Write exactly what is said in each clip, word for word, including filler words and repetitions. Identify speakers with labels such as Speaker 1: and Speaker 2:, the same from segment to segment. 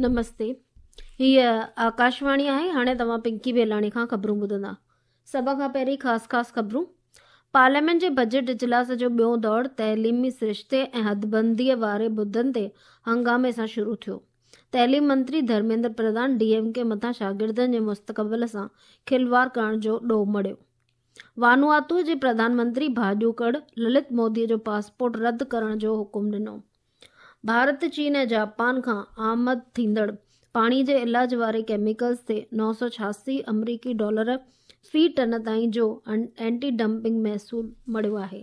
Speaker 1: نمستي، هيء آڪاشواڻي آهي. هاڻي توهان پنڪي بيلاڻي کان خبرون ٻڌندا. سڀ کان پهرين خاص خاص خبرون. پارليامينٽ جي بجيٽ اجلاس جو ٻيو دور تعليمي سرشتي ۽ حدبنديء واري مدن تي هنگامي سان شروع ٿيو. تعليم منتري Dharmendra Pradhan D M K مٿان شاگردن جي مستقبل سان کلواڙ ڪرڻ جو ڏوهه مڙهيو. وانواتو جي پرڌان منتري ڀاڄوڪڙ للت مودي جو پاسپورٽ رد ڪرڻ جو حڪم ڏنو. ڀارت، چين ۽ جاپان کان آمد ٿيندڙ پاڻي جي علاج واري ڪيميڪلز تي نو سؤ ڇهاسي آمريڪي ڊالر في ٽن تائين جو اينٽي ڊمپنگ محصول مڙهيو آهي.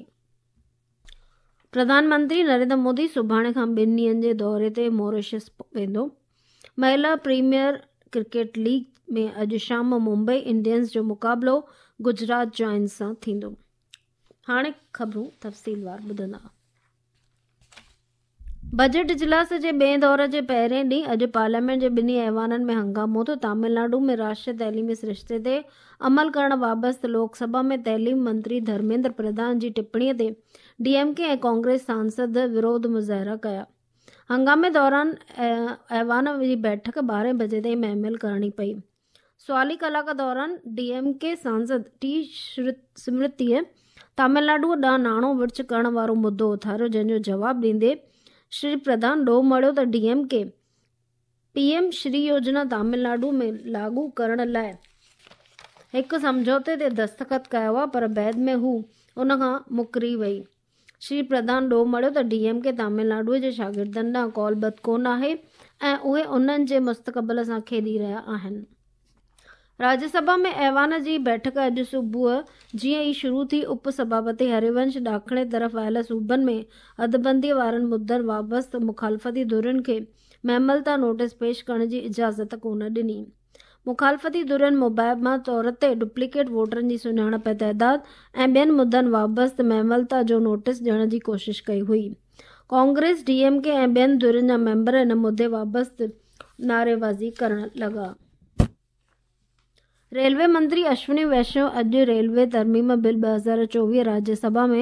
Speaker 1: پرڌان منتري نريندر مودي سڀاڻي کان ٻن ڏينهن جي دوري تي موريشس ويندو. مهلا پريميئر ڪرڪيٽ ليگ ۾ اڄ شام ممبئي انڊينز جو مقابلو گجرات جائنٽس سان ٿيندو. هاڻي خبرون تفصيلوار ٻڌندا. بجيٽ اجلاس جي ٻئي دور جي پهرين ڏينهن اڄ پارليامينٽ جي ٻنهي ايوانن ۾ هنگامو ٿيو. تامل ناڊو ۾ راشٽريه تعليمي سرشتي تي عمل ڪرڻ بابت لوڪ سڀا ۾ تعليم منتري ڌرميندر پرڌان جي ٽپڻي تي D M K ۽ Congress Sansad وروڌ مظاهرا ڪيا. هنگامي دوران ايوان جي بيٺڪ ٻارهين بجي تائين مهمل ڪرڻي پئي. سوالي ڪلاڪ دوران ڊي ايم ڪي سانسد ٽي سمرتيء تامل ناڊو ڏانهن ناڻو ورڇ ڪرڻ وارو مدو اٿاريو، جنهن جو جواب ڏيندي شري پرڌان ڏوهه مڙهيو ته D M K P M Shri Yojana Tamil Nadu ۾ لاڳو ڪرڻ لاء هڪ سمجهوتي تي دستخط ڪيا هئا پر بعد ۾ هو ان کان مڪري وئي. شري پرڌان ڏوهه مڙهيو ته D M K Tamil Nadu جي شاگردن ڏانهن قول ٻڌ ڪونه آهي ۽ اهي انهن جي مستقبل سان کيڏي رهيا آهن. راجيه سڀا ۾ ايوان جي بيٺڪ اڄ صبح جيئن ئي شروع ٿي، اپ سڀاپتي هريونش ڏاکڻي طرف آيل صوبن ۾ حدبنديء وارن مدن بابت مخالفتي ڌرين کي مهملتا نوٽيس پيش ڪرڻ جي اجازت ڪونه ڏني. مخالفتي ڌرين مبينا طور تي ڊپليڪيٽ ووٽرن جي سڃاڻپ ۽ تعداد ۽ ٻين مدن بابت مهملتا جو نوٽيس ڏيڻ جي ڪوشش ڪئي هئي. ڪانگريس، ڊي ايم ڪي ۽ ٻين ڌرين جا ميمبر ان مدي بابت نعريبازي ڪرڻ لڳا. ريلوي منتري اشوني ويشنو اڄ ريلوي ترميم بل ٻه هزار چوويهه راجيه سڀا ۾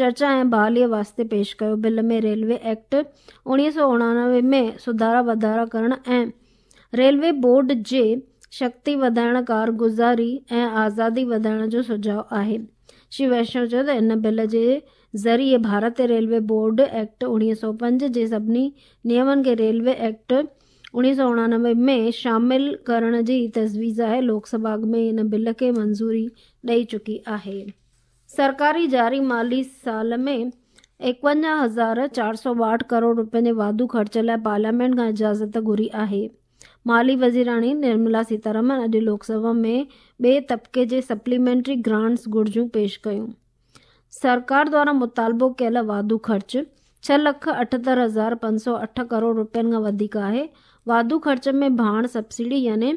Speaker 1: چرچا ۽ بحاليء واسطي پيش ڪيو. بل ۾ ريلوي ايڪٽ اڻويهه سؤ اڻانوي ۾ سڌارا واڌارا ڪرڻ ۽ ريلوي بورڊ جي شڪتي وڌائڻ، ڪارگذاري ۽ آزادي وڌائڻ جو سجهاء آهي. شري ويشنو چيو ته ان بل جي ذريعي ڀارتي ريلوي بورڊ ايڪٽ اڻويهه سؤ پنج جي سڀني نيمن کي ريلوي ايڪٽ اڻويهه سؤ اڻانوي ۾ شامل ڪرڻ جي تجويز آهي. لوڪ سڀا اڳ ۾ ئي ان بل کي منظوري ڏئي چڪي آهي. سرڪاري جاري مالي سال ۾ ايڪونجاهه هزار چار سؤ ٻاهٺ ڪروڙ رپين جي واڌو خرچ لاء پارليامينٽ کان اجازت گهري آهي. مالي وزيراڻي نرملا سيتارامن اڄ لوڪ سڀا ۾ ٻئي طبقي جي سپليمينٽري گرانٽس گهرجون پيش ڪيون. سرڪار دواران مطالبو ڪيل واڌو خرچ ڇهه لک اٺهتر هزار پنج سؤ اٺ ڪروڙ رپين کان وڌيڪ آهي. واڌو خرچ ۾ ڀاڻ سبسڊي يعني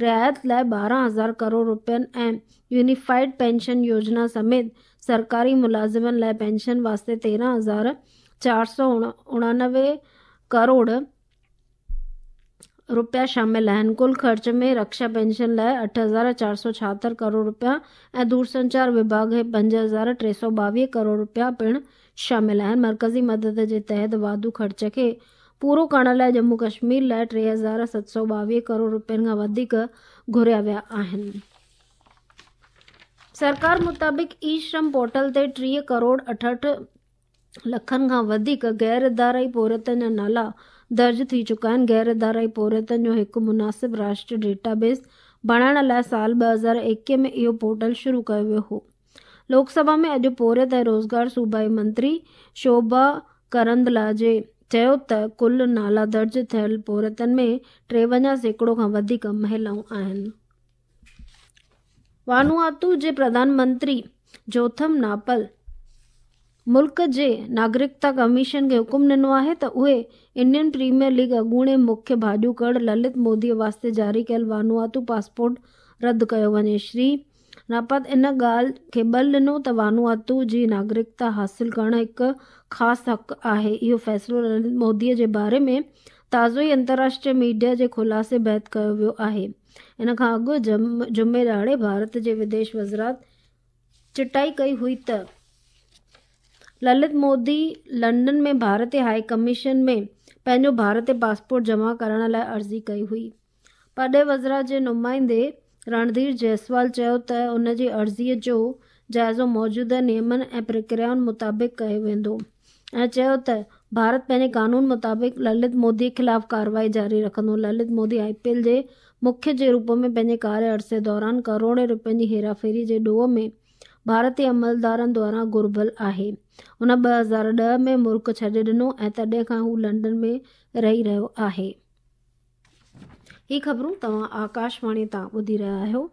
Speaker 1: رعايت لاء ٻارهن هزار ڪروڙ رپين ۽ يونيفائيڊ پينشن يوجنا سميت سرڪاري ملازمن لاء پينشن واسطي تيرهن هزار چار سؤ اڻانوي ڪروڙ رپيا شامل آهن. ڪل خرچ ۾ رڪشا پينشن لاء اٺ هزار چار سؤ ڇاهتر ڪروڙ رپيا ۽ دورسنچار وڀاڳ کي پنج هزار ٽي سؤ ٻاويهه ڪروڙ رپيا پڻ شامل آهن. مرڪزي مدد جي تحت واڌو خرچ کي پورو ڪرڻ لاء ڄمون ڪشمير لاء ٽي هزار ست سؤ ٻاويهه ڪروڙ رپين کان وڌيڪ گهريا ويا آهن. سرڪار مطابق اي شرم پورٽل تي ٽيهه ڪروڙ اٺهٺ لکن کان وڌيڪ غير ادارائي پورهيتن جا نالا درج ٿي چڪا آهن. غير ادارائي پورهيتن جو هڪ مناسب راشٽريه ڊيٽا بيس بڻائڻ لاء سال ٻه هزار ايڪيهه ۾ اهو پورٽل شروع ڪيو ويو هو. لوڪ سڀا ۾ اڄ پورهيت ۽ روزگار صوبائي منتري شوڀا ڪرندلاجي چيو ته ڪل نالا درج ٿيل پورهيتن ۾ ٽيونجاهه سيڪڙو کان وڌيڪ مهلائون آهن. وانواتو جي پرڌان منتري جوٿم ناپل ملڪ جي ناگرڪتا ڪميشن کي حڪم ڏنو آهي ته اهي انڊين پريميئر ليگ اڳوڻي مکيه ڀاڄوڪڙ للت مودي واسطي جاري ڪيل وانواتو پاسپورٽ رد ڪيو وڃي. شري ناپت ان ڳالهه کي ٻل ڏنو ته وانواتو جي ناگرڪتا حاصل ڪرڻ هڪ خاص حق آهي. اهو فيصلو للت مودي جي باري ۾ تازو ئي انترراشٽريه ميڊيا جي خلاصي بعد ڪيو ويو آهي. ان کان اڳ جمعي ڏهاڙي ڀارت جي وديش وزارت چٽائي ڪئي هئي ته للت مودي لنڊن ۾ ڀارتي هاء ڪميشن ۾ پنهنجو ڀارتي پاسپورٽ جمع ڪرائڻ لاء عرضي ڪئي هئي. پرڏيهي وزارت جي نمائندي رڻڌير جئسوال چيو ته ان جي عرضي جو جائزو موجوده نيمن ۽ پرڪريائن مطابق ڪيو ويندو ۽ چيو ته ڀارت پنهنجي قانون مطابق للت مودي خلاف ڪارروائي جاري رکندو. Lalit Modi I P L جي مکي جي روپ ۾ پنهنجي ڪاريه عرصي دوران ڪروڙين روپين جي هيراڦيري جي ڏوهه ۾ ڀارتي عملدارن دواران گهربل آهي. هن ٻه هزار ڏهه ۾ ملڪ ڇڏي ڏنو ۽ تڏهن کان هو لنڊن ۾ رهي رهيو آهي. هي خبرون توهان آڪاشواڻي تان ٻڌي رهيا آهيو.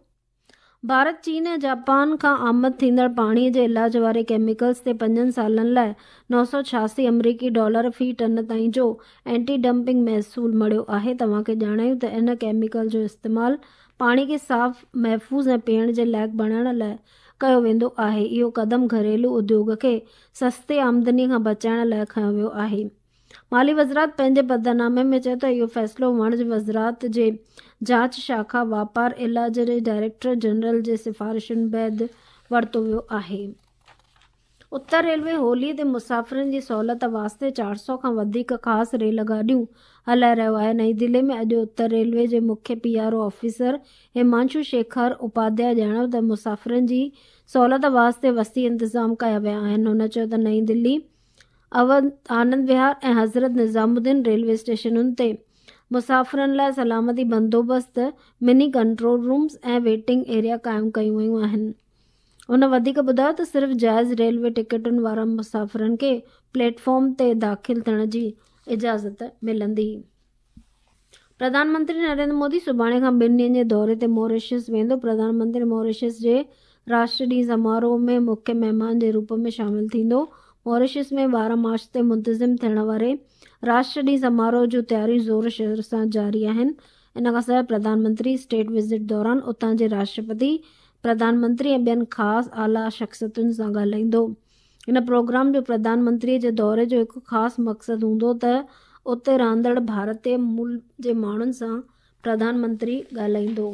Speaker 1: ڀارت چين ۽ جاپان کان آمد ٿيندڙ پاڻي جي علاج واري ڪيميڪلز تي پنجن سالن لاءِ نو سؤ ڇهاسي آمريڪي ڊالر في ٽن تائين جو اينٽي ڊمپنگ محصول مڙهيو آهي. توهان کي ڄاڻايون ته ان ڪيميڪل جو استعمال پاڻي کي صاف، محفوظ ۽ پيئڻ جي لائق بڻائڻ لاءِ ڪيو ويندو آهي. اهو قدم گهريلو اديوگ کي سستي آمدني کان بچائڻ لاءِ کنيو ويو آهي. مالي وزارت پنهنجي پڌرنامي ۾ چيو ته اهو فيصلو وڻج وزارت جي جاچ شاخا واپار علاج جي ڊائريڪٽر جنرل جي سفارشن بعد ورتو ويو آهي. اتر ريلوي هولي تي مسافرن جي سهولت واسطي چار سؤ کان وڌيڪ خاص ريل گاڏيون هلائي رهيو آهي. نئين دلي ۾ اڄ اتر ريلوي جي مکيه P R O officer Himanshu Shekhar Upadhyay ڄاڻايو ته مسافرن جي سهولت واسطي وسيع انتظام ڪيا ويا آهن. هن چيو ته نئين دلي، آنند وهار ۽ حضرت نظام الدين ريلوي اسٽيشنن تي مسافرن لاءِ سلامتي بندوبست، mini control rooms ۽ waiting area قائم ڪيون ويون آهن. هن وڌيڪ ٻڌايو ته صرف جائز ريلوي ٽڪيٽن وارن مسافرن کي پليٽ فارم تي داخل ٿيڻ جي اجازت ملندي. پرڌان منتري نريندر مودي سڀاڻي کان ٻن ڏينهن جي دوري تي ماريشس ويندو. پرڌان منتري ماريشس جي راشٽر ڏينهن سماروهه ۾ مکيه مهمان جي روپ ۾ شامل ٿيندو. ماريشس ۾ ٻارهن مارچ تي منتظم ٿيڻ واري راشٽر ڏينهن سماروهه جون تياريون زور شور سان جاري آهن. ان کان سواءِ پرڌان منتري اسٽيٽ وزٽ دوران اتان جي راشٽرپتي، پرڌان منتري ۽ ٻين خاص اعليٰ شخصيتن سان ڳالهائيندو. ان پروگرام جو پرڌان منتري جي دوري جو هڪ خاص مقصد هوندو ته اتي رهندڙ ڀارتي مول جي ماڻهن سان پرڌان منتري ڳالهائيندو.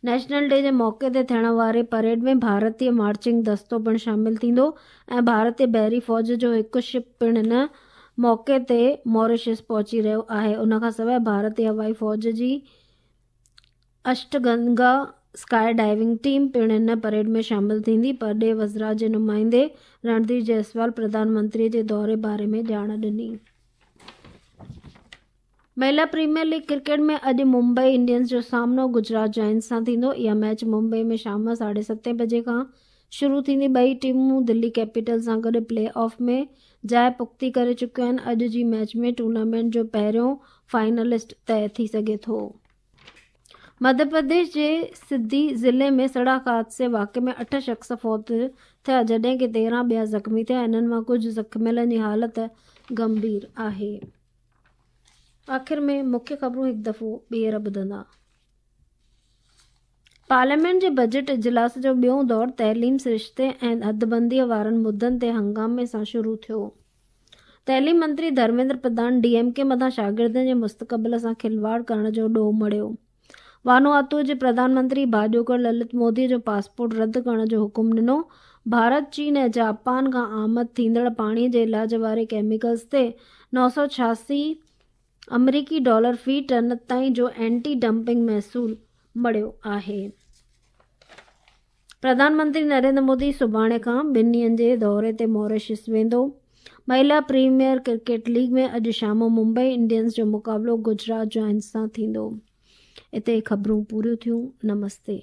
Speaker 1: نيشنل ڊي جي موقعي تي ٿيڻ واري پريڊ ۾ ڀارتي مارچنگ دستو پڻ شامل ٿيندو ۽ ڀارتي بحري فوج جو هڪ شپ پڻ ان موقعي تي ماريشس پهچي رهيو آهي. ان کان سواءِ ڀارتي هوائي فوج جي اشٽگنگا اسڪائي ڊائيونگ ٽيم پڻ ان پريڊ ۾ شامل ٿيندي. پرڏيهي وزارت جي نمائندي رڻڌير جئسوال پرڌان منتري جي دوري باري ۾ ڄاڻ ڏني. مهلا پريميئر ليگ ڪرڪيٽ ۾ اڄ ممبئي انڊينز جو سامنو گجرات جائنٽس سان ٿيندو. اها ميچ ممبئي ۾ شام ساڍي ستين بجي کان شروع ٿيندي. ٻئي ٽيمون دلي ڪيپيٽل سان گڏ پلي آف ۾ جاءِ پختي ڪري چڪيون آهن. اڄ جي ميچ ۾ ٽورنامينٽ جو پهريون فائنلسٽ طئي ٿي سگهي ٿو. مڌيه پرديش جي سڌي ضلعي ۾ سڙڪ حادثي واقعي ۾ اٺ شخص فوت ٿيا جڏهن ڪه تيرهن ٻيا زخمي ٿيا. انهن مان ڪجهه زخمين جي حالت گنڀير آهي. آخر ۾ مکيه خبرون هڪ دفعو ٻيهر ٻڌندا. پارليامينٽ جي بجيٽ اجلاس جو ٻيو دور تعليم، سرشتي ۽ حدبنديءَ وارن مدعن تي هنگامي سان شروع ٿيو. تعليم منتري Dharmendra Pradhan D M K مٿان شاگردن جي مستقبل سان کلواڙ ڪرڻ جو ڏوهه مڙهيو. وانواتو جي پرڌان منتري ڀاڄوڪڙ للت مودي جو پاسپورٽ رد ڪرڻ جو حڪم ڏنو. ڀارت، چين ۽ جاپان کان آمد ٿيندڙ پاڻي جي علاج واري ڪيميڪلز تي نو سؤ ڇهاسي آمريڪي ڊالر في ٽن تائين جو اينٽي ڊمپنگ محصول مڙهيو آهي. پرڌان منتري نريندر مودي سڀاڻي کان ٻن ڏينهن جي دوري تي ماريشس ويندو. مهلا پريميئر ڪرڪيٽ ليگ ۾ اڄ شام ممبئي انڊينز جو مقابلو گجرات جائنٽس سان ٿيندو. اتي خبرون پوريون ٿيون. نمستي.